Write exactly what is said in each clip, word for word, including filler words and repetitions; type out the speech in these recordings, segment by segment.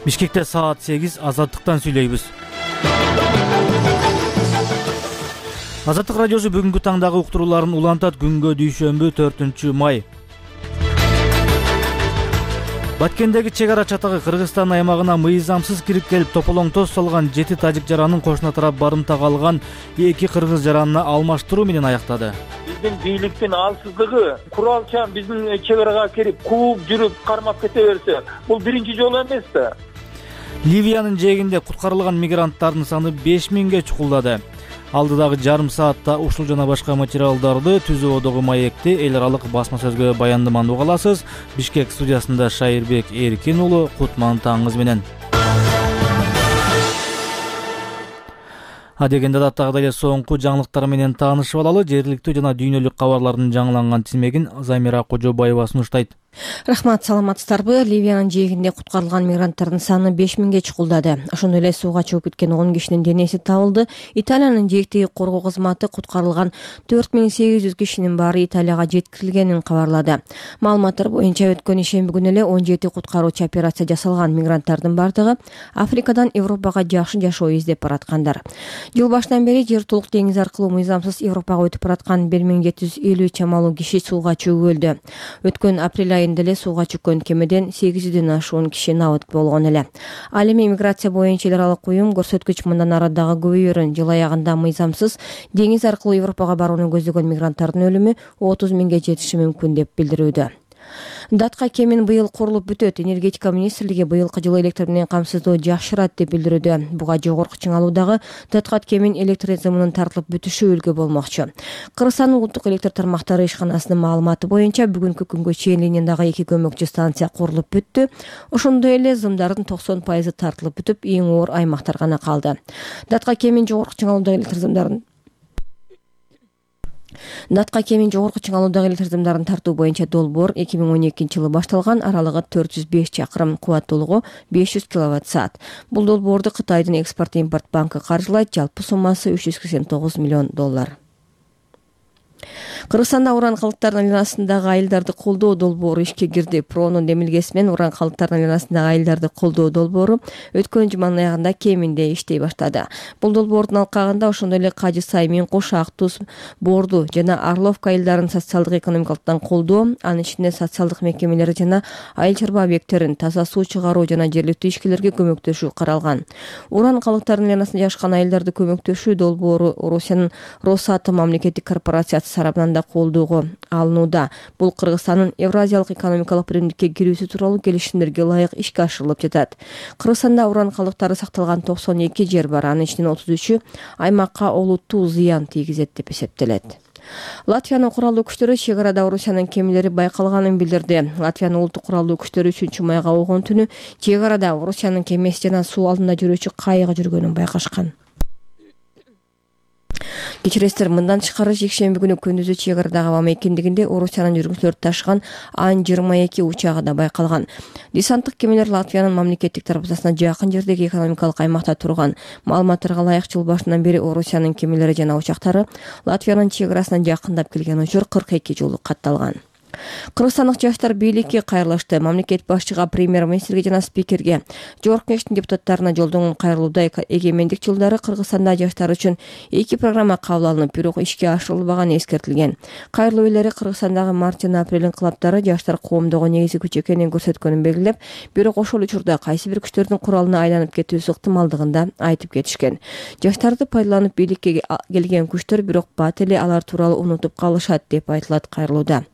Бишкекте саат сегиз. Азаттыктан сүйлөйбүз. Азаттык радиосу бүгүнкү таңдагы уктурууларын улантат. Күнгө дүйшөмбү төртүнчү май. Баткендеги чек ара чатагы Кыргызстан аймагына мыйзамсыз кирип келип тополоң-тоз салган жети тажик жаранын кошуна тарап барымтага алган эки кыргыз жаранына алмаштыруу менен аяктады. Биздин бийликтин алсыздыгы, куралчан биздин чек арага кирип, кууп жүрүп, кармап кете берсе, бул биринчи жолу эмес да. Ливиянын жээгинде куткарылган мигранттардын саны беш миңге чукулдады. Алдыдагы жарым саатта ушул жана башка материалдарды Түз Ободогу маекти эл аралык басма сөзгө баяндаманы уга аласыз. Бишкек студиясында Шайырбек Эркин уулу, кутман таңыңыз менен. Адегенде даттагыдай эле соңку жаңылыктар менен таанышып алалы. Жергиликтүү жана дүйнөлүк кабарлардын жаңыланган тизмегин Замира Кожобаева сунуштайт. Рахмат, саламатсыздарбы? Ливиянын жээгинде куткарылган мигранттардын саны беш миңге чукулдады. Ошондой эле сууга чыгып кеткен он кишинин денеси табылды. Италиянын жээктеги коргоо кызматы куткарылган төрт миң сегиз жүз кишинин баары Италияга жеткирилгенин кабарлады. Маалыматтар боюнча өткөн ишемби күнү эле он жети куткаруучу операция жасалган. Мигранттардын бардыгы Африкадан Европага жакшы жашоо издеп бараткандар. Жыл башынан бери жер толук деңиз аркылуу мыйзамсыз Европага өтүп бараткан бир миң жети жүз элүү чамалуу киши сууга чөгүп өлдү. Өткөн апрель айында эле сууга чүккөн кемеден сегиз жүздөн ашуун киши набыт болгон эле. Ал эми миграция боюнча эл аралык уюм көрсөткүч мындан ары дагы көбөйөрүн. Жыл аягында мыйзамсыз деңиз аркылуу Европага барууну көздөгөн мигранттардын өлүмү отуз миңге жетиши мүмкүн деп билдирүүдө. Датка кемин быйыл курулуп бүтөт. Энергетика министрлиги быйылкы жылы электр менен камсыздоо жакшырат деп билдирүүдө. Буга жогорку чыңалуудагы Датка кемин электр зымынын тартылып бүтүшү үлгү болмокчу. Кыргызстандын улуттук электр тармактары ишканасынын маалыматы боюнча бүгүнкү күнгө чейин линиядагы эки көмөкчү станция курулуп бүттү. Ошондой эле зымдардын токсон пайызы тартылып бүтүп, эң оор аймактар гана калды. Датка кемин жогорку чыңалуудагы электр зымдарын Датка кемин жогорку чыңалуудагы электр зымдарын тартуу боюнча долбоор эки миң он экинчи жылы башталган. Аралыгы төрт жүз беш чакырым, кубаттуулугу беш жүз киловатт саат. Бул долбоорду Кытайдын экспорт-импорт банкы каржылайт. Жалпы суммасы үч жүз сексен тогуз миллион доллар. Кыргызстанда уран калдыктарынын айланасындагы айылдарды колдоо долбоору ишке кирди. Проонун демилгеси менен уран калдыктарынын айланасындагы айылдарды колдоо долбоору өткөн жуманын аягында кеминде иштей баштады. Бул долбоордун алкагында ошондой эле Кажы Сай, Мен Кош, Ак Туз, Борду жана Орловка айылдарын социалдык экономикалыктан колдоо, анын ичинде социалдык мекемелери жана айыл чарба объекттерин таза суу чыгаруу жана жергиликтүү ишкерлерге көмөктөшүү каралган. Уран калдыктарынын айланасында жашкан айылдарды көмөктөшүү долбоору Орусиянын Росатом мамлекеттик корпорациясы тарабынан да колдоого алынууда. Бул Кыргызстандын Евразиялык экономикалык биримдикке кирүүсү тууралуу келишимдерге ылайык ишке ашырылып жатат. Кыргызстанда уран калдыктары сакталган токсон эки жер бар. Анын ичинен отуз үчү аймакка олуттуу зыян тийгизет деп эсептелет. Латвиянын куралдуу күчтөрү чек арада Орусиянын кемелери байкалганын билдирди. Латвиянын улуттук куралдуу күчтөрү үчүнчү майга болгон түнү чек арада Орусиянын кемеси жана суу алдында жүрүүчү кайыгы жүргөнүн байкашкан. Кечиресиздер, мындан тышкары жекшемби күнү күндүзү чек арадагы аба мейкиндигинде Орусиянын жүргүнчүлөрү ташыган Ан жыйырма эки учагы да байкалган. Десанттык кемелер Латвиянын мамлекеттик дарбазасына жакын жердеги экономикалык аймакта турган. Маалыматтарга ылайык, жыл башынан бери Орусиянын кемелери жана учактары Латвиянын чек арасына жакындап келген учур кырк эки жолу катталган. Кыргызстандык жаштар бийликке кайрылышты. Мамлекет башчыга, премьер-министрге жана спикерге, Жогорку Кеңештин депутаттарына жолдонгон кайрылууда эгемендик жылдары Кыргызстанда жаштар үчүн эки программа кабыл алынып, бирок ишке ашырылбаганы эскертилген. Кайрылуу элleri Кыргызстандагы март жана апрель инкылаптары жаштар коомдогу негизги күч экенин көрсөткөнүн белгилеп, бирок ошол учурда кайсы бир күчтөрдүн куралына айланып кетүүсү ыктымалдыгында айтып кетишкен. Жаштарды пайдаланып бийликке келген күчтөр бирок бат эле алар тууралуу унутуп калышат деп айтылат кайрылууда.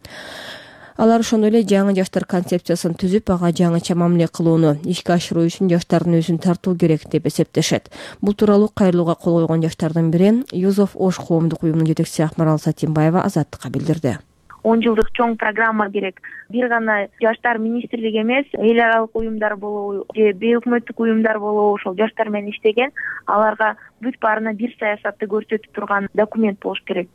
Алар ошондой эле жаңы жаштар концепциясын түзүп, ага жаңыча мамиле кылууну ишке ашыруу үчүн жаштардын өзүн тартуу керек деп эсептешет. Бул тууралуу кайрылууга кол койгон жаштардын бири Юзов Ош коомдук уюмунун жетекчиси Акмарал Сатимбаева Азаттыкка билдирди. он жылдык чоң программа керек. Бир гана жаштар министрлиги эмес, эл аралык уюмдар болобу же бейөкмөттүк уюмдар болобу ошол жаштар менен иштеген, аларга бүт баарына бир саясатты көрсөтүп турган документ болуш керек.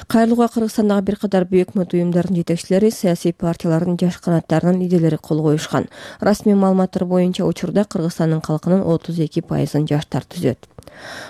Кайрылууга Кыргызстандагы бир катар бейөкмөт уюмдардын жетекчилери, саясий партиялардын жаш канаттарынын лидерлери кол коюшкан. Расмий маалыматтар боюнча учурда Кыргызстандын калкынын отуз эки пайызын жаштар түзөт.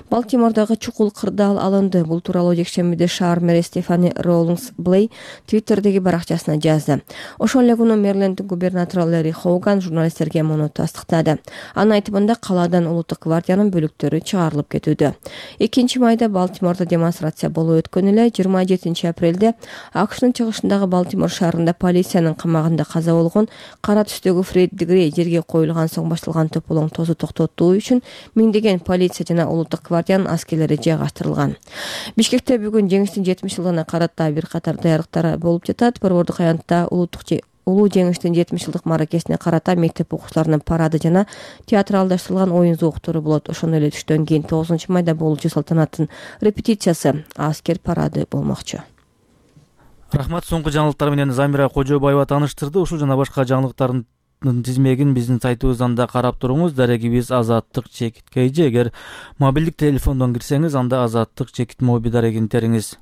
Балтимордогу чукул кырдаал алынды. Бул тууралуу жекшембиде шаар мэри Стефани Роулингс Блей Твиттердеги баракчасына жазды. Ошол эле күнү Мэриленддин губернатору Лерри Хоуган журналисттерге муну тастыктады. Анын айтымында калаадан улуттук гвардиянын бөлүктөрү чыгарылып кетүүдө. экинчи майда Балтимордо демонстрация болуп өткөн эле жыйырма жетинчи апрелде АКШнын чыгышындагы Балтимор шаарында полициянын камагында каза болгон кара түстөгү Фредди Грей жерге коюлган соң башталган тополоңтоозду токтотуу үчүн миңдеген полиция жана улуттук гвардиянын аскерлери жайгаштырылган. Бишкекте бүгүн жеңиштин жетимиш жылдыгына карата бир катар даярдыктар болуп жатат. Борбордук аянтта улуттук улуу жеңиштин жетимиш жылдык мааракесине карата мектеп окуучуларынын парады жана театралдаштырылган оюн зооктору болот. Ошондой эле түштөн кийин тогузунчу майда болуучу салтанаттын репетициясы аскер парады болмокчу. Рахмат, соңку жаңылыктар менен Замира Кожобаева тааныштырды. Ушул жана башка жаңылыктардын тизмегин биздин сайтыбыздан да карап туруңуз. Дарегибиз Азаттык чекит kg. Эгер мобилдик телефондон кирсеңиз, анда Азаттык чекит моби дарегин териңиз.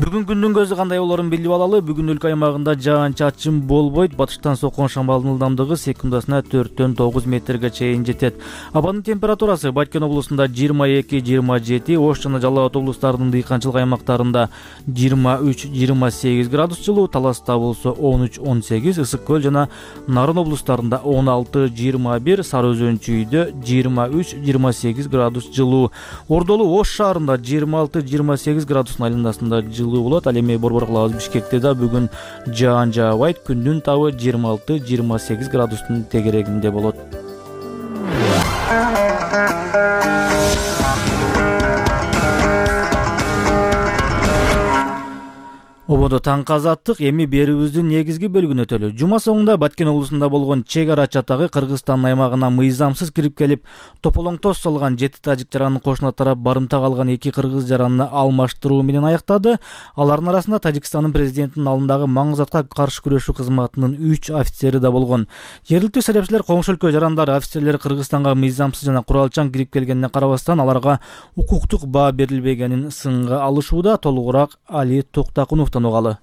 Бүгүн күндүн көзү кандай болорун билип алалы. Бүгүн өлкө аймагында жаан-чачын болбойт. Батыштан соккон шамалдын ылдамдыгы секундасына төрттөн тогуз метрге чейин жетет. Абанын температурасы Баткен облусунда жыйырма эки жыйырма жети, Ош жана Жалал Абад облустарынын дыйканчылык аймактарында жыйырма үч жыйырма сегиз градус жылуу, Таласта болсо он үч он сегиз, Ысык көл жана Нарын облустарында он алты жыйырма бир, Сары Өзөн чүйдө жыйырма үч жыйырма сегиз градус жылуу. Ордолу Ош шаарында жыйырма алты жыйырма сегиз градустун айланасында жылуу болот. Ал эми борбор кылабыз Бишкекте да бүгүн жаан жаабайт. Күндүн табы жыйырма алты жыйырма сегиз градустун тегерегинде болот. Ободо таңкы азаттык эми берүүбүздүн негизги бөлүгүнө өтөлү. Жума соңунда Баткен облусунда болгон чек ара чатагы Кыргызстандын аймагына мыйзамсыз кирип келип, тополоңтоз салган жети тажик жаранын кошуна тарап барымта калган эки кыргыз жаранны алмаштыруу менен аяктады. Алардын арасында Тажикстандын президентинин алдындагы маңгызатка каршы күрөшүү кызматынын үч офицери да болгон. Жергиликтүү серепчилер коңшу өлкө жарандары офицерлери Кыргызстанга мыйзамсыз жана куралчан кирип келгенине карабастан аларга укуктук баа берилбегенин сынга алышууда. Толугураак Али Токтакуновдон угалы.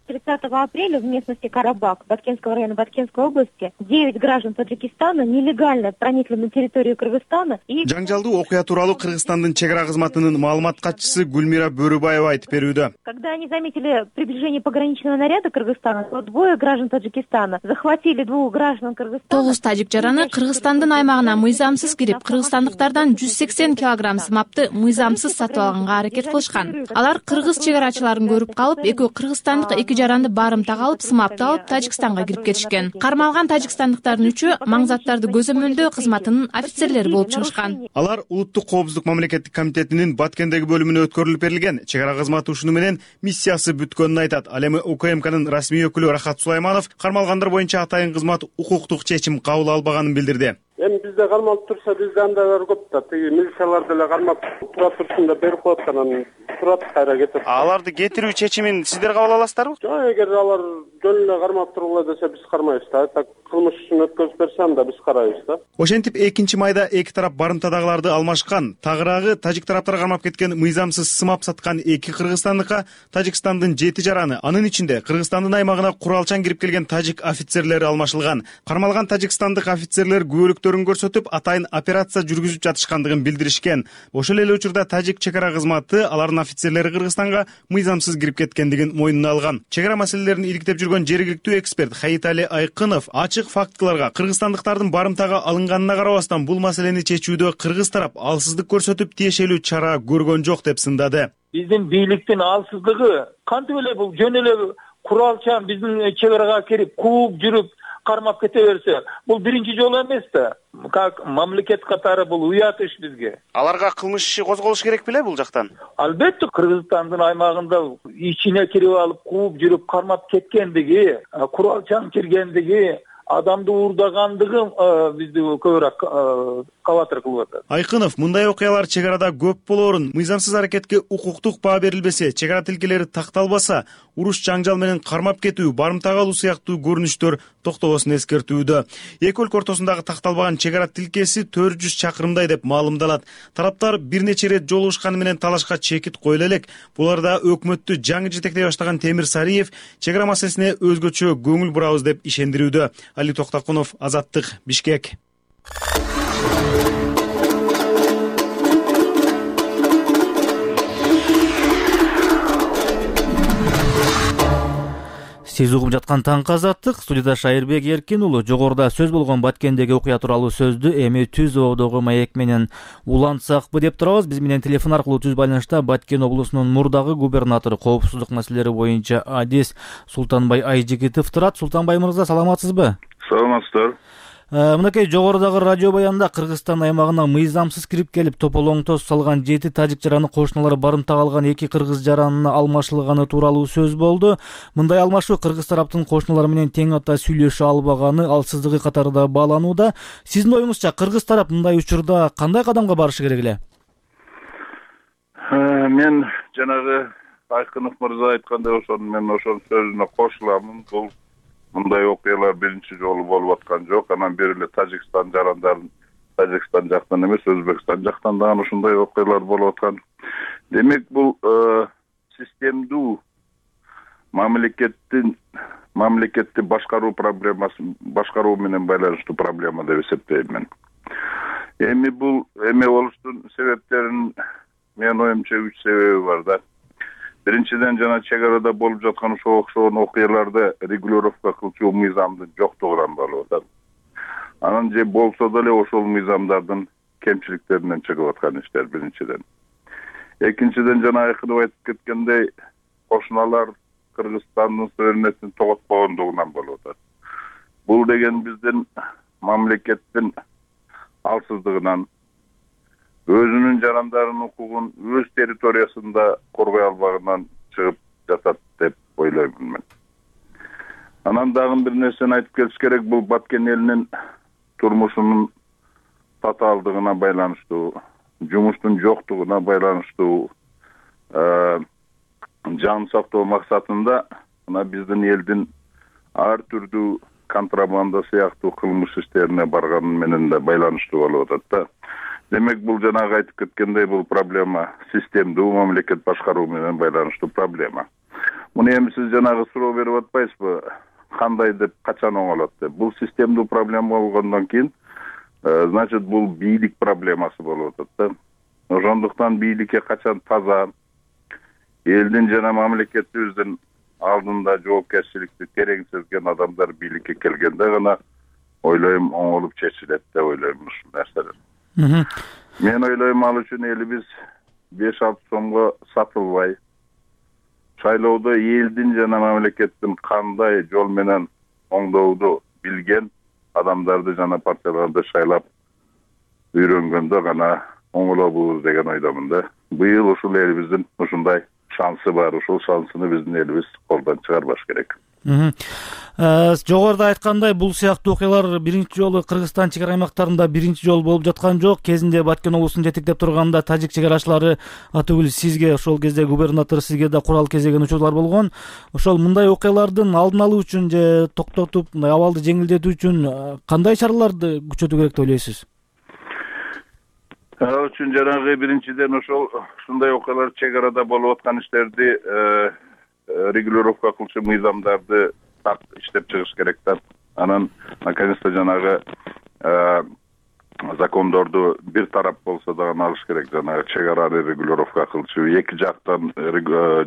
тридцатого апреля в местности Карабак Баткенского района Баткенской области девять граждан Таджикистана нелегально проникли на территорию Кыргызстана и... Жаңжалдуу окуя тууралуу Кыргызстандын чек ара кызматынын маалымат катчысы Гүлмира Бөрүбаева айтып берүүдө. Когда они заметили приближение пограничного наряда Кыргызстана, то двое граждан Таджикистана захватили двух граждан Кыргызстана. Тогуз тажик жараны Кыргызстандын аймагына мыйзамсыз кирип, кыргызстандыктардан жүз сексен килограмм сымапты мыйзамсыз сатып алганга аракет кылышкан. Алар кыргыз чек арачыларын көрүп калып, экөө кыргызстандык эки жаранды барымтага алып, сымапты алып Тажикстанга кирип кетишкен. Кармалган тажикстандыктардын үчөө маңзаттарды көзөмөлдөө кызматынын офицерлери болуп чыгышкан. Алар улуттук коопсуздук мамлекеттик комитетинин Баткендеги бөлүмүнө өткөрүлүп берилген чек ара кызматы ушуну менен миссиясы бүткөнүн айтат. Ал эми УКМКнын расмий өкүлү Рахат Сулайманов кармалгандар боюнча атайын кызмат укуктук чечим кабыл албаганын билдирди. Эми бизде кармалып турса, бизде андайлар көп да. Тиги милициялар деле кармап тура турсун деп берип коет, анан турат кайра кетет. Аларды кетирүү чечимин сиздер кабыл аласыздарбы? Жок, эгер алар жөн эле кармап тургула десе, биз кармайбыз да. Так кылмыш үчүн өткөзүп берсе, анда биз карайбыз да. Ошентип экинчи майда эки тарап барымтадагыларды алмашкан. Тагыраагы тажик тараптар кармап кеткен мыйзамсыз сымап саткан эки кыргызстандыкка Тажикстандын жети жараны, анын ичинде Кыргызстандын аймагына куралчан кирип келген тажик офицерлери алмашылган. Кармалган тажикстандык офицерлер күбөлүктөрүн көрсөтүп, атайын операция жүргүзүп жатышкандыгын билдиришкен. Ошол эле учурда тажик чек ара кызматы алардын офицерлери Кыргызстанга мыйзамсыз кирип кеткендигин мойнуна алган. Чек ара маселелерин иликтеп жүргөн жергиликтүү эксперт Хаитали Айкынов ачык фактыларга кыргызстандыктардын барымтага алынганына карабастан бул маселени чечүүдө кыргыз тарап алсыздык көрсөтүп тиешелүү чара көргөн жок деп сындады. Биздин бийликтин алсыздыгы кантип эле бул жөн эле куралчан биздин чек арага кирип кууп жүрүп кармап кете берсе, бул биринчи жолу эмес да. Как мамлекет катары бул уят иш бизге. Аларга кылмыш иши козголуш керек беле бул жактан? Албетте, Кыргызстандын аймагында ичине кирип алып кууп жүрүп кармап кеткендиги, куралчан киргендиги, адамды уурдагандыгы бизди көбүрөөк кабатыр кылып атат. Айкынов мындай окуялар чек арада көп болоорун, мыйзамсыз аракетке укуктук баа берилбесе, чек ара тилкелери такталбаса, уруш жаңжал менен кармап кетүү, барымтага алуу сыяктуу көрүнүштөр токтобосун эскертүүдө. Эки өлкө ортосундагы такталбаган чек ара тилкеси төрт жүз чакырымдай деп маалымдалат. Тараптар бир нече ирет жолугушканы менен талашка чекит коюла элек. Буларда өкмөттү жаңы жетектей баштаган Темир Сариев чек ара маселесине өзгөчө көңүл бурабыз деп ишендирүүдө. Али Токтокунов, Азаттык, Бишкек. Сиз угуп жаткан таңкы Азаттык, студияда Шайырбек Эркин уулу. Жогоруда сөз болгон Баткендеги окуя тууралуу сөздү эми Түз ободогу маек менен улантсакпы деп турабыз. Биз менен телефон аркылуу түз байланышта Баткен облусунун мурдагы губернатору, коопсуздук маселелери боюнча адис Султанбай Айжигитов турат. Султанбай мырза, саламатсызбы? Саламатсыздар. Мынакей жогорудагы радио баянда Кыргызстан аймагына мыйзамсыз кирип келип тополоңтоз салган жети тажик жараны кошуналары барымтага алган эки кыргыз жаранына алмашылганы тууралуу сөз болду. Мындай алмашуу кыргыз тараптын кошуналары менен тең ата сүйлөшө албаганы, алсыздыгы катарында бааланууда. Сиздин оюңузча кыргыз тарап мындай учурда кандай кадамга барышы керек эле? Мен жанагы Айкынов мырза айткандай ошол мен ошол сөзүнө кошуламын. Бул мындай окуялар биринчи жолу болуп аткан жок. Анан бери эле Тажикстан жарандарын Тажикстан жактан эмес, Өзбекстан жактан дагы ушундай окуялар болуп аткан. Демек, бул системдүү мамлекеттин мамлекетти башкаруу проблемасы, башкаруу менен байланыштуу проблема деп эсептейм мен. Эми бул эме болуштун себептерин менин оюмча үч себеби бар да. Биринчиден, жана чек арада болуп жаткан ошо окшогон окуяларды регулировка кылчу мыйзамдын жоктугунан болуп атат. Анан же болсо деле ошол мыйзамдардын кемчиликтеринен чыгып аткан иштер биринчиден. Экинчиден, жана Айкынов айтып кеткендей, кошуналар Кыргызстандын суверенитетин тоготпогондугунан болуп атат. Бул деген биздин мамлекеттин алсыздыгынан, өзүнүн жарандарын укугун өз территориясында коргой албагынан чыгып жатат деп ойлоймун мен. Анан дагы бир нерсени айтып кетиш керек, бул Баткен элинин турмушунун татаалдыгына байланыштуу, жумуштун жоктугуна байланыштуу, жан сактоо максатында мына биздин элдин ар түрдүү контрабанда сыяктуу кылмыш иштерине барганы менен да байланыштуу болуп атат да. Демек, бул жанагы айтып кеткендей, бул проблема системдүү мамлекет башкаруу менен байланыштуу проблема. Муну эми сиз жанагы суроо берип атпайсызбы? Кандай деп, качан оңолот деп? Бул системдүү проблема болгондон кийин, значит, бул бийлик проблемасы болуп атат да. Ошондуктан бийликке качан таза, элдин жана мамлекетибиздин алдында жоопкерчиликти терең сезген адамдар бийликке келгенде гана ойлойм оңолуп чечилет деп ойлойм ушул нерселер. Мен ойлойм, ал үчүн элибиз беш алты сомго сатылбай, шайлоодо элдин жана мамлекеттин кандай жол менен оңдоуду билген адамдарды жана партияларды шайлап үйрөнгөндө гана оңолобуз деген ойдомун да. Быйыл ушул элибиздин ушундай шансы бар, ушул шансыны биздин элибиз колдон чыгарбаш керек. Жогоруда айткандай, бул сыяктуу окуялар биринчи жолу Кыргызстан чек ара аймактарында биринчи жолу болуп жаткан жок. Кезинде Баткен облусун жетектеп турганда тажик чек арачылары атыбыл сизге, ошол кезде губернатор сизге да курал кезеген учурлар болгон. Ошол мындай окуялардын алдын алуу үчүн же токтотуп, мындай абалды жеңилдетүү үчүн кандай чараларды күчөтүү керек деп ойлойсуз? Ал үчүн жанагы биринчиден ошол ушундай окуялар чек арада болуп аткан иштерди регулировка кылчу мыйзамдарды так иштеп чыгыш керек да. Анан наконец-то жанагы закондорду бир тарап болсо дагы алыш керек, жанагы чек араны регулировка кылчу, эки жактан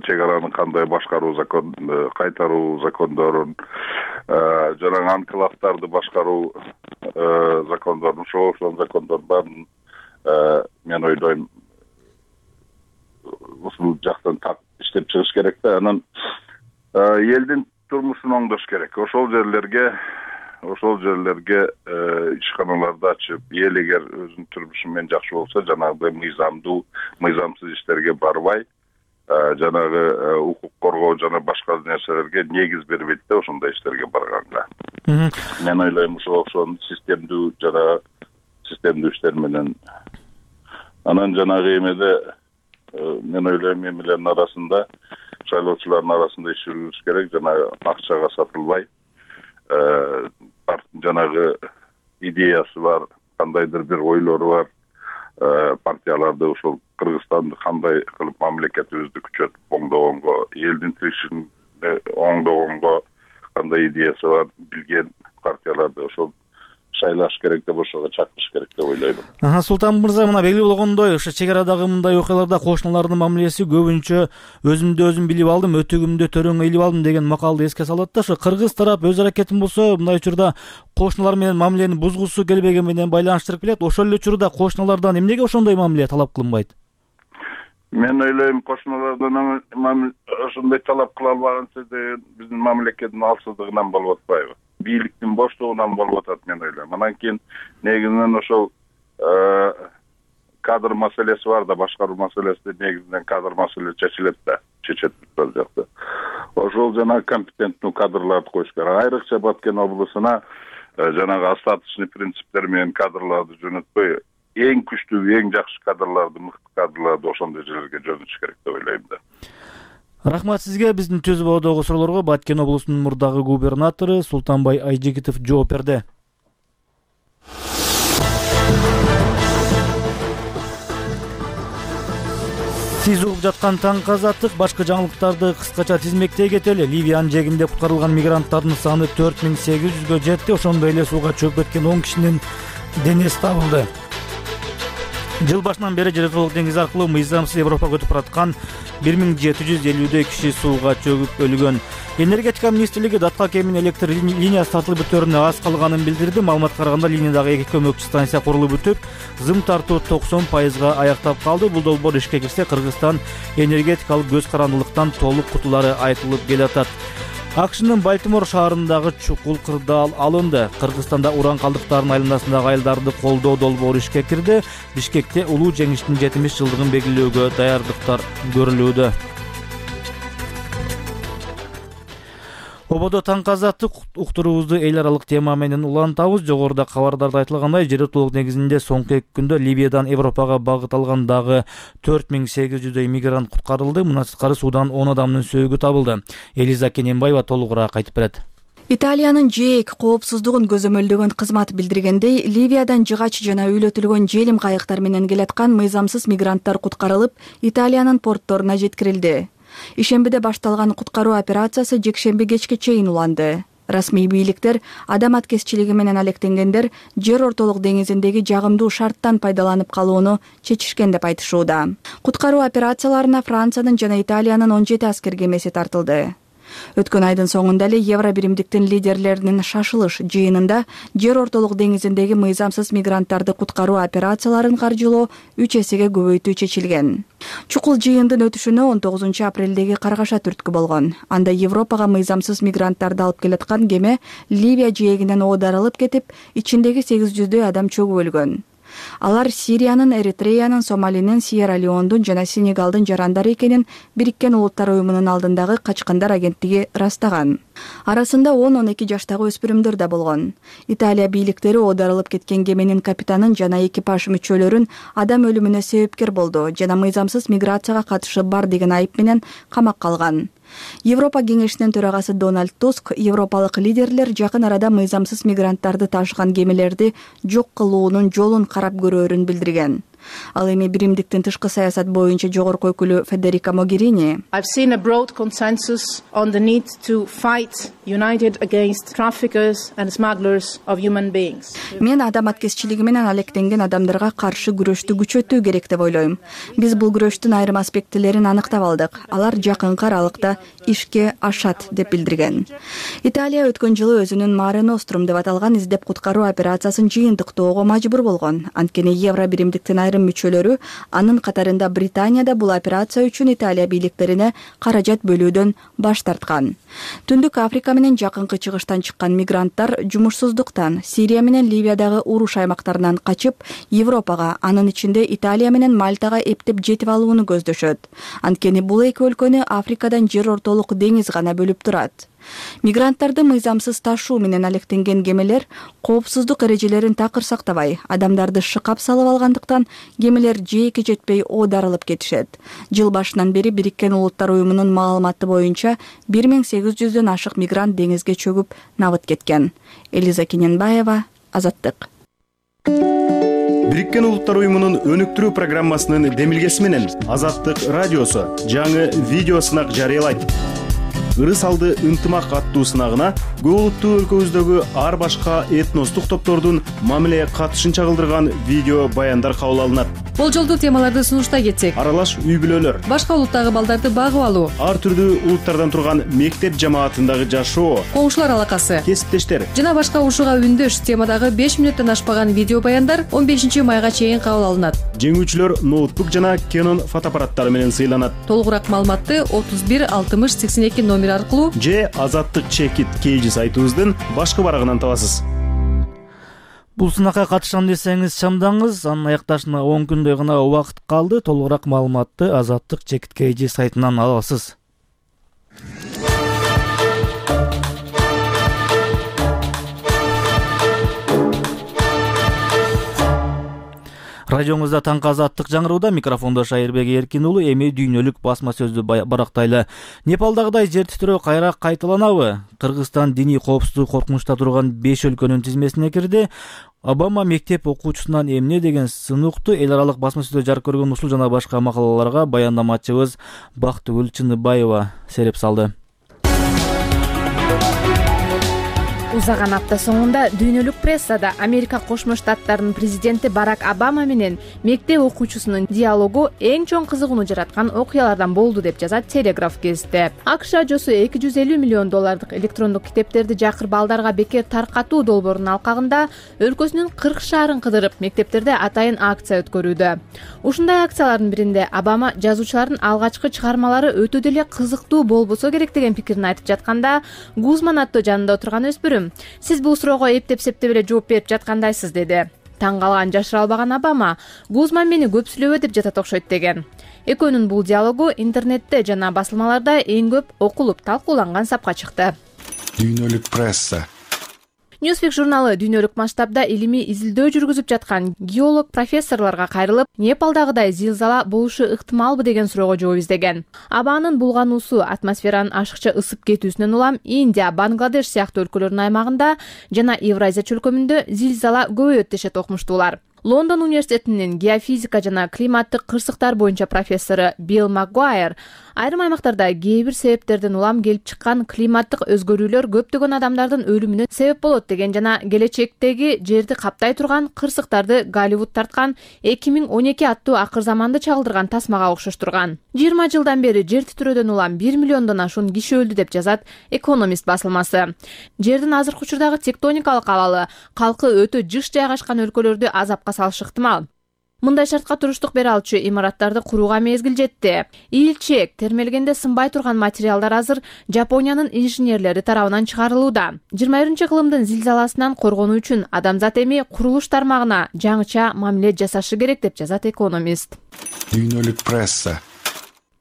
чек араны кандай башкаруу закон, кайтаруу закондорун, жанагы анклавдарды башкаруу закондорун, ошол ошол закондор баарын мен ойлойм ушул жактан так иштеп чыгыш керек да. Анан элдин турмушун оңдош керек. Ошол жерлерге ошол жерлерге ишканаларды ачып, эл эгер өзүнүн турмушу менен жакшы болсо, жанагы мыйзамдуу, мыйзамсыз иштерге барбай, жанагы укук коргоо жана башка нерселерге негиз бербейт да ошондой иштерге барганга. Мен ойлойм ошол ошол системдүү жана системдүү иштер менен. Анан жанагы эмеде мен ойлойм эмелердин арасында, шайлоочулардын арасында иш жүргүзүш керек, жанагы акчага сатылбай, жанагы идеясы бар, кандайдыр бир ойлору бар партияларды ошол Кыргызстанды кандай кылып мамлекетибизди күчөтүп оңдогонго, элдин тиричилигин оңдогонго кандай идеясы бар билген партияларды ошол шайлаш керек деп ошого чакырыш керек деп ойлойм. Султан мырза, мына белгилүү болгондой, ошо чек арадагы мындай окуяларда кошуналардын мамилеси көбүнчө өзүмдү өзүм билип алдым, өтүгүмдү төрөңө илип алдым деген макалды эске салат да, ошо кыргыз тарап өз аракетин болсо мындай учурда кошуналар менен мамилени бузгусу келбеген менен байланыштырып келет. Ошол эле учурда кошуналардан эмнеге ошондой мамиле талап кылынбайт? Мен ойлойм, кошуналардан ошондой талап кыла албаганча деген биздин мамлекеттин алсыздыгынан болуп атпайбы? Бийликтин боштугунан болуп атат, мен ойлойм. Анан кийин негизинен ошол кадр маселеси бар да, башкаруу маселеси негизинен кадр маселеси чечилет да, чечет бул жакта. Ошол жана компетенттүү кадрларды коюш керек. Айрыкча Баткен облусуна жанагы остаточный принциптер менен кадрларды жөнөтпөй, эң күчтүү, эң жакшы кадрларды, мыкты кадрларды ошондой жерлерге жөнөтүш керек деп ойлойм да. Рахмат сизге. Биздин Түз боодогу суроолорго Баткен облусунун мурдагы губернатору Султанбай Айжигитов жооп берди. Сиз угуп жаткан таңкы азаттык башка жаңылыктарды кыскача тизмектей кетели. Ливиянын жээгинде куткарылган мигранттардын саны төрт миң сегиз жүзгө жетти. Ошондой эле сууга чөкүп кеткен он кишинин денеси табылды. Жыл башынан бери Жер деңизи аркылуу мыйзамсыз Европага өтүп бараткан бир миң жети жүз элүүдөй киши сууга чөгүп өлгөн. Энергетика министрлиги датка кемин электр линиясы тартылып бүтөөрүнө аз калганын билдирди. Маалыматка караганда линиядагы эки көмөкчү станция курулуп бүтүп, зым тартуу токсон пайызга аяктап калды. Бул долбоор ишке кирсе, Кыргызстан энергетикалык көз карандылыктан толук кутулары айтылып келатат. АКШнын Балтимор шаарындагы чукул кырдаал алынды. Кыргызстанда уран калдыктарынын айланасындагы айылдарды колдоо долбоору ишке кирди. Бишкекте улуу жеңиштин жетимиш жылдыгын белгилөөгө даярдыктар көрүлүүдө. Ободо таңкы азаттык уктуруубузду эл аралык тема менен улантабыз. Жогоруда кабардарда айтылгандай, жер утулук негизинде соңку эки күндө Ливиядан Европага багыт алган дагы төрт миң сегиз жүздөй мигрант куткарылды. Мына сырткары суудан он адамдын сөөгү табылды. Элиза Кененбаева толугураак айтып берет. Италиянын ЖЭЭК коопсуздугун көзөмөлдөгөн кызмат билдиргендей, Ливиядан жыгач жана үйлөтүлгөн желим кайыктар менен келаткан мыйзамсыз мигранттар куткарылып, Италиянын портторуна жеткирилди. Ишембиде башталган куткаруу операциясы жекшемби кечке чейин уланды. Расмий бийликтер адам аткезчилиги менен алектенгендер Жер ортолук деңизиндеги жагымдуу шарттан пайдаланып калууну чечишкен деп айтышууда. Куткаруу операцияларына Франциянын жана Италиянын он жети аскер кемеси тартылды. Өткөн айдын соңунда эле Евро биримдиктин лидерлеринин шашылыш жыйынында Жер ортолук деңизиндеги мыйзамсыз мигранттарды куткаруу операцияларын каржылоо үч эсеге көбөйтүү чечилген. Чукул жыйындын өтүшүнө он тогузунчу апрелдеги каргаша түрткү болгон. Анда Европага мыйзамсыз мигранттарды алып келаткан кеме Ливия жээгинен оодарылып кетип, ичиндеги сегиз жүздөй адам чөгүп өлгөн. Алар Сириянын, Эритреянын, Сомалинин, Сьерра-Леондун жана Сенегалдын жарандары экенин Бириккен Улуттар уюмунун алдындагы качкандар агенттиги ырастаган. Арасында он он эки жаштагы өспүрүмдөр да болгон. Италия бийликтери оодарылып кеткен кеменин капитанын жана экипаж мүчөлөрүн адам өлүмүнө себепкер болду жана мыйзамсыз миграцияга катышы бар деген айып менен камакка алган. Европа кеңешинин төрагасы Дональд Туск европалык лидерлер жакын арада мыйзамсыз мигранттарды ташыган кемелерди жок кылуунун жолун карап көрөөрүн билдирген. Ал эми биримдиктин тышкы саясат боюнча жогорку өкүлү Федерика Могерини I've seen a broad consensus on the need to fight united against traffickers and smugglers of human beings. Мен адам аткезчилиги менен алектенген адамдарга каршы күрөштү күчөтүү керек деп ойлойм. Биз бул күрөштүн айрым аспектилерин аныктап алдык. Алар жакынкы аралыкта ишке ашат деп билдирген. Италия өткөн жылы өзүнүн Mare Nostrum деп аталган издеп куткаруу операциясын жыйынтыктоого мажбур болгон. Анткени Евро биримдиктин айрым мүчөлөрү, анын катарында Британияда бул операция үчүн Италия бийликтерине каражат бөлүүдөн баш тарткан. Түндүк Африка менен жакынкы чыгыштан чыккан мигранттар жумушсуздуктан, Сирия менен Ливиядагы уруш аймактарынан качып, Европага, анын ичинде Италия менен Мальтага эптеп жетип алууну көздөшөт. Анткени бул эки өлкөнү Африкадан жер ортолук деңиз гана бөлүп турат. Мигранттарды мыйзамсыз ташуу менен алектенген кемелер коопсуздук эрежелерин такыр сактабай, адамдарды шыкап салып алгандыктан кемелер жээкке жетпей оодарылып кетишет. Жыл башынан бери Бириккен Улуттар уюмунун маалыматы боюнча бир миң сегиз жүздөн ашык мигрант деңизге чөгүп набыт кеткен. Элиза Кененбаева, Азаттык. Бириккен Улуттар уюмунун өнүктүрүү программасынын демилгеси менен Азаттык радиосу жаңы видео сынак жарыялайт. Ырыс алды ынтымак аттуу сынагына көп улуттуу өлкөбүздөгү ар башка этностук топтордун мамиле катышын чагылдырган видео баяндар кабыл алынат. Болжолдуу темаларды сунуштай кетсек: аралаш үй бүлөлөр, башка улуттагы балдарды багып алуу, ар түрдүү улуттардан турган мектеп жамаатындагы жашоо, коңшулар алакасы, кесиптештер жана башка ушуга үндөш темадагы беш мүнөттөн ашпаган видео баяндар он бешинчи майга чейин кабыл алынат. Жеңүүчүлөр ноутбук жана Canon фотоаппараттары менен сыйланат. Толугураак маалыматты отуз бир алтымыш сексен эки номер аркылуу же Азаттык чекит кейжи сайтыбыздын башкы барагынан табасыз. Бул сынакка катышам десеңиз чамдаңыз, анын аякташына он күндөй гана убакыт калды. Толугураак маалыматты Азаттык чекит кейжи сайтынан аласыз. Радиоңузда таңкы азаттык жаңырууда, микрофондо Шайырбек Эркин уулу. Эми дүйнөлүк басма сөздү барактайлы. Непалдагыдай жер титирөө кайра кайталанабы? Кыргызстан диний коопсуздук коркунучта турган беш өлкөнүн тизмесине кирди. Обама мектеп окуучусунан эмне деген сынокту эл аралык басма сөздө жарык көргөн ушул жана башка макалаларга баяндамачыбыз Бактыгүл Чыныбаева сереп салды. Узаган апта соңунда дүйнөлүк прессада Америка Кошмо Штаттарынын президенти Барак Обама менен мектеп окуучусунун диалогу эң чоң кызыгууну жараткан окуялардан болду деп жазат Телеграф гезити. АКШ ажосу эки жүз элүү миллион доллардык электрондук китептерди жакыр балдарга бекер таркатуу долбоорунун алкагында өлкөсүнүн кырк шаарын кыдырып мектептерде атайын акция өткөрүүдө. Ушундай акциялардын биринде Обама жазуучулардын алгачкы чыгармалары өтө деле кызыктуу болбосо керек деген пикирин айтып жатканда, Гузман аттуу жанында отурган өспүрүм: "Сиз бул суроого эптеп-септеп эле жооп берип жаткандайсыз" деди. Таң калган жашыра албаган Обама: "Гузман мени көп сүйлөбө деп жатат окшойт" деген. Экөөнүн бул диалогу интернетте жана басылмаларда эң көп окулуп, талкууланган сапка чыкты. Дүйнөлүк пресса. Newsweek журналы дүйнөлүк масштабда илимий изилдөө жүргүзүп жаткан геолог профессорлорго кайрылып, Непалдагыдай зилзала болушу ыктымалбы деген суроого жооп издеген. Абанын булгануусу атмосферанын ашыкча ысып кетүүсүнөн улам Индия, Бангладеш сыяктуу өлкөлөрдүн аймагында жана Евразия чөлкөмүндө зилзала көбөйөт дешет окумуштуулар. Лондон университетинин геофизика жана климаттык кырсыктар боюнча профессору Билл Макгуайр айрым аймактарда кээ бир себептерден улам келип чыккан климаттык өзгөрүүлөр көптөгөн адамдардын өлүмүнө себеп болот деген жана келечектеги жерди каптай турган кырсыктарды Голливуд тарткан эки миң он эки аттуу акыр заманды чагылдырган тасмага окшоштурган. жыйырма жылдан бери жер титирөөдөн улам бир миллиондон ашуун киши өлдү деп жазат Экономист басылмасы. Жердин азыркы учурдагы тектоникалык абалы калкы өтө жыш жайгашкан өлкөлөрдү азапка салышы ыктымал. Мындай шартка туруштук бере алчу имараттарды курууга мезгил жетти. Ийилчээк, термелгенде сынбай турган материалдар азыр Жапониянын инженерлери тарабынан чыгарылууда. жыйырма биринчи кылымдын зилзаласынан коргонуу үчүн адамзат эми курулуш тармагына жаңыча мамиле жасашы керек деп жазат Экономист. Дүйнөлүк пресса.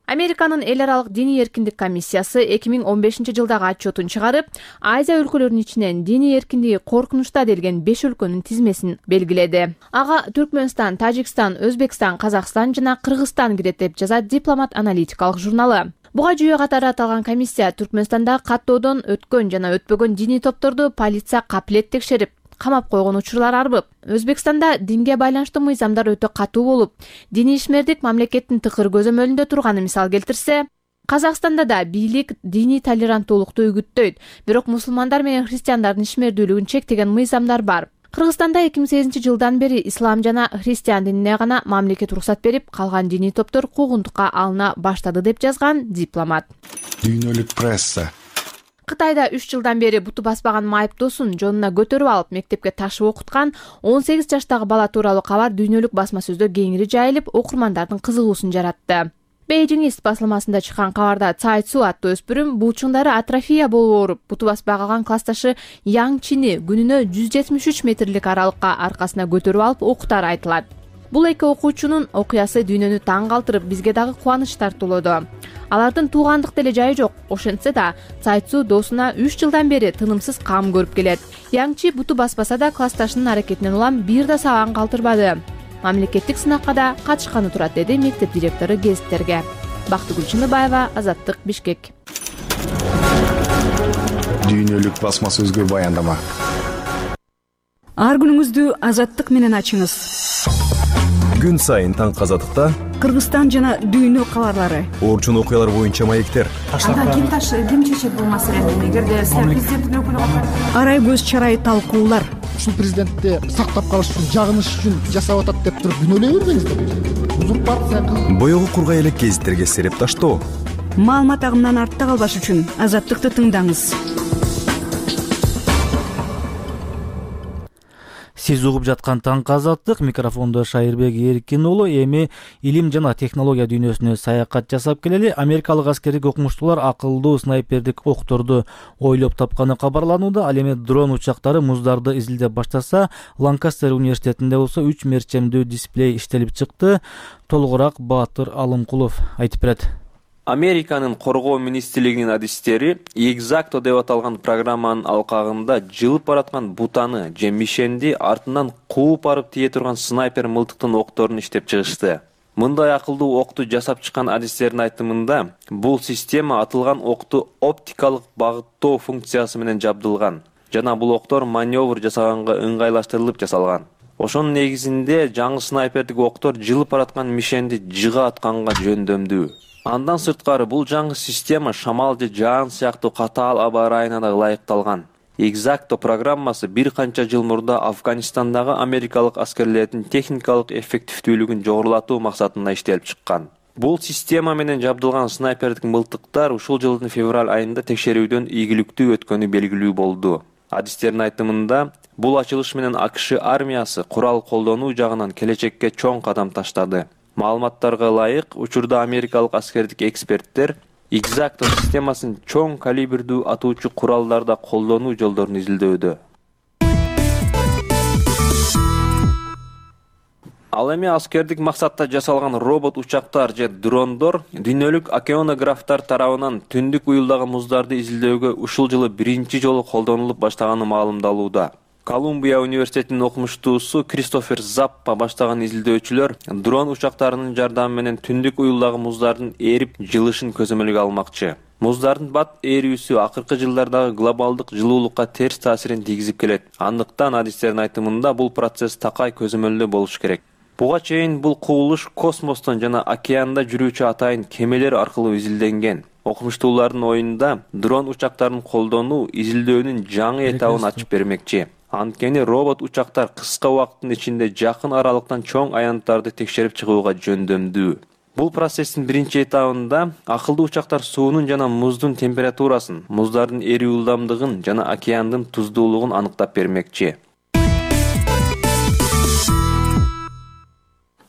Американын эл аралык диний эркиндик комиссиясы эки миң он бешинчи жылдагы отчетун чыгарып, Азия өлкөлөрүнүн ичинен диний эркиндиги коркунучта делген беш өлкөнүн тизмесин белгиледи. Ага Түркмөнстан, Тажикстан, Өзбекстан, Казакстан жана Кыргызстан кирет деп жазат Дипломат аналитикалык журналы. Буга жүйө катары аталган комиссия Түркмөнстанда каттоодон өткөн жана өтпөгөн диний топторду полиция капилет текшерип, камап койгон учурлар арбып. Өзбекстанда динге байланыштуу мыйзамдар өтө катуу болуп, диний ишмердик мамлекеттин тыкыр көзөмөлүндө турганы мисал келтирсе, Казакстанда да бийлик диний толеранттуулукту үгүттөйт, бирок мусулмандар менен христиандардын ишмердүүлүгүн чектеген мыйзамдар бар. Кыргызстанда эки миң сегизинчи жылдан бери ислам жана христиан динине гана мамлекет уруксат берип, калган диний топтор куугунтукка алына баштады деп жазган Дипломат. Дүйнөлүк пресса. Кытайда үч жылдан бери буту баспаган майыптуусун жонуна көтөрүп алып мектепке ташып окуткан он сегиз жаштагы бала тууралуу кабар дүйнөлүк басма сөздө кеңири жайылып, окурмандардын кызыгуусун жаратты. Бейжиңист басылмасында чыккан кабарда Цай Цу аттуу өспүрүм булчуңдары атрофия болуп ооруп, буту баспай калган классташы Яң Чини күнүнө жүз жетимиш үч метрлик аралыкка аркасына көтөрүп алып окутары айтылат. Бул эки окуучунун окуясы дүйнөнү таң калтырып, бизге дагы кубаныч тартуулоду. Алардын туугандык деле жайы жок. Ошентсе да, Цайцу доосуна үч жылдан бери тынымсыз кам көрүп келет. Яңчи буту баспаса да, классташынын аракетинен улам бир да сабагын калтырбады. Мамлекеттик сынакка да катышканы турат, деди мектеп директору гезиттерге. Бактыгүл Чыныбаева, Азаттык, Бишкек. Дүйнөлүк басма сөзгө баяндама. Ар күнүңүздү Азаттык менен ачыңыз. Күн сайын таңкы Азаттыкта Кыргызстан жана дүйнө кабарлары, орчун окуялар боюнча маектер. Анда ким таш ким чечет бул маселени? Эгерде президенттин өкүлү арай көз чарай талкуулар. Ушул президентти сактап калыш үчүн, жагыныш үчүн жасап атат деп туруп күнөөлөй бербеңиздер. Узурпация кылып. Боёгу кургай элек гезиттерге сереп таштоо. Маалымат агымынан артта калбаш үчүн Азаттыкты тыңдаңыз. Сиз угуп жаткан таңкы Азаттык, микрофондо Шайырбек Эркин уулу. Эми илим жана технология дүйнөсүнө саякат жасап келели. Америкалык аскердик окумуштуулар акылдуу снайпердик окторду ойлоп тапканы кабарланууда. Ал эми дрон учактары муздарды изилдеп баштаса, Ланкастер университетинде болсо үч мерчемдүү дисплей иштелип чыкты. Толугураак Баатыр Алымкулов айтып берет. Американын коргоо министрлигинин адистери Exacto деп аталган программанын алкагында жылып бараткан бутаны же мишенди артынан кууп барып тие турган снайпер мылтыктын окторун иштеп чыгышты. Мындай акылдуу окту жасап чыккан адистердин айтымында, бул система атылган окту оптикалык багыттоо функциясы менен жабдылган жана бул октор маневр жасаганга ыңгайлаштырылып жасалган. Ошонун негизинде жаңы снайпердик октор жылып бараткан мишенди жыга атканга жөндөмдүү. Андан сырткары бул жаңы система шамал же жаан сыяктуу катаал аба ырайына да ылайыкталган. Exacto программасы бир канча жыл мурда Афганистандагы америкалык аскерлердин техникалык эффективдүүлүгүн жогорулатуу максатында иштелип чыккан. Бул система менен жабдылган снайпердик мылтыктар ушул жылдын февраль айында текшерүүдөн ийгиликтүү өткөнү белгилүү болду. Адистердин айтымында, бул ачылыш менен АКШ армиясы курал колдонуу жагынан келечекке чоң кадам таштады. Маалыматтарга ылайык, учурда америкалык аскердик эксперттер Exacto системасын чоң калибрдүү атуучу куралдарда колдонуу жолдорун изилдөөдө. Ал эми аскердик максатта жасалган робот учактар же дрондор дүйнөлүк океанографтар тарабынан түндүк уюлдагы муздарды изилдөөгө ушул жылы биринчи жолу колдонулуп баштаганы маалымдалууда. Колумбия университетинин окумуштуусу Кристофер Заппа баштаган изилдөөчүлөр дрон учактарынын жардамы менен түндүк уюлдагы муздардын эрип жылышын көзөмөлгө алмакчы. Муздардын бат эрүүсү акыркы жылдардагы глобалдык жылуулукка терс таасирин тийгизип келет. Андыктан адистердин айтымында бул процесс такай көзөмөлдө болуш керек. Буга чейин бул кубулуш космостон жана океанда жүрүүчү атайын кемелер аркылуу изилденген. Окумуштуулардын оюнда дрон учактарын колдонуу изилдөөнүн жаңы этабын ачып бермекчи. Анткени робот учактар кыска убакыттын ичинде жакын аралыктан чоң аянттарды текшерип чыгууга жөндөмдүү. Бул процесстин биринчи этабында акылдуу учактар суунун жана муздун температурасын, муздардын эрүү ылдамдыгын жана океандын туздуулугун аныктап бермекчи.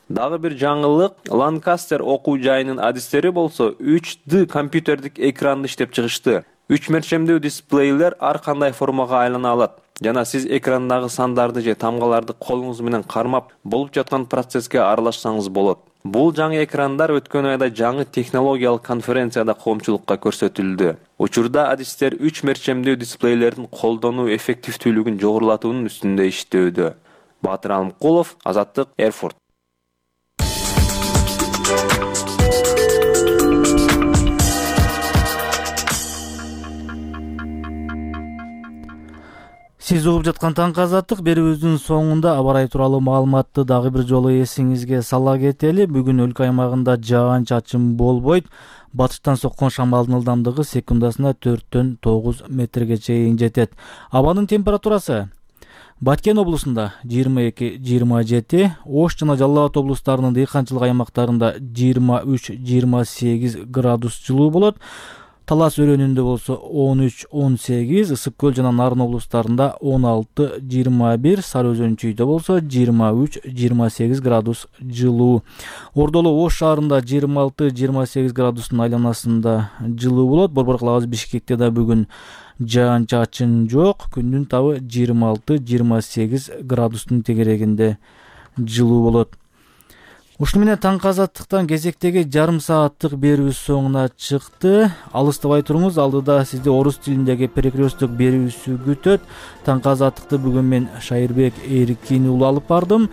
Дагы бир жаңылык, Ланкастер окуу жайынын адистери болсо үч дэ компьютердик экранды иштеп чыгышты. Үч мерчемдүү дисплейлер ар кандай формага айлана алат. Жана сиз экрандагы сандарды же тамгаларды колуңуз менен кармап, болуп жаткан процесске аралашсаңыз болот. Бул жаңы экрандар өткөн айда жаңы технологиялык конференцияда коомчулукка көрсөтүлдү. Учурда адистер үч мерчемдүү дисплейлердин колдонуу эффективдүүлүгүн жогорулатуунун үстүндө иштөөдө. Баатыр Алымкулов, Азаттык, Эрфурт. Сиз угуп жаткан таңкы Азаттык, берүүбүздүн соңунда аба ырайы тууралуу маалыматты дагы бир жолу эсиңизге сала кетели. Бүгүн өлкө аймагында жаан-чачын болбойт. Батыштан соккон шамалдын ылдамдыгы секундасына төрттөн тогуз метрге чейин жетет. Абанын температурасы Баткен облусунда жыйырма эки жыйырма жети, Ош жана Жалал Абад облустарынын дыйканчылык аймактарында жыйырма үч жыйырма сегиз градус жылуу болот. Талас өрөөнүндө болсо он үч он сегиз, Ысык көл жана Нарын облустарында он алты жыйырма бир, Сары Өзөн чүйдө болсо жыйырма үч жыйырма сегиз градус жылуу. Ордолу Ош шаарында жыйырма алты жыйырма сегиз градустун айланасында жылуу болот. Борбор калабыз Бишкекте да бүгүн жаан-чачын жок. Күндүн табы жыйырма алты жыйырма сегиз градустун тегерегинде жылуу болот. Ушуну менен таңкы азаттыктан кезектеги жарым сааттык берүүбүз соңуна чыкты. Алыстабай туруңуз, алдыда сизди орус тилиндеги перекресток берүүсү күтөт. Таңкы азаттыкты бүгүн мен Шайырбек Эркин уулу алып бардым.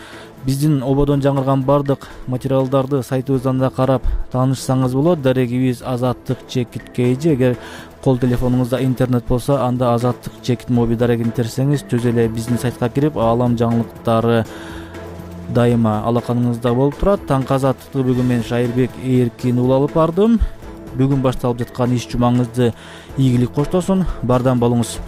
Биздин ободон жаңырган бардык материалдарды сайтыбыздан да карап таанышсаңыз болот. Дарегибиз азаттык чекит kg. Эгер кол телефонуңузда интернет болсо, анда азаттык чекит моби дарегин терсеңиз түз эле биздин сайтка кирип, аалам жаңылыктары дайыма алаканыңызда болуп турат. Таңкы азаттыкты бүгүн мен Шайырбек Эркин уулу алып бардым. Бүгүн башталып жаткан иш жумаңызды ийгилик коштосун. Бардам болуңуз.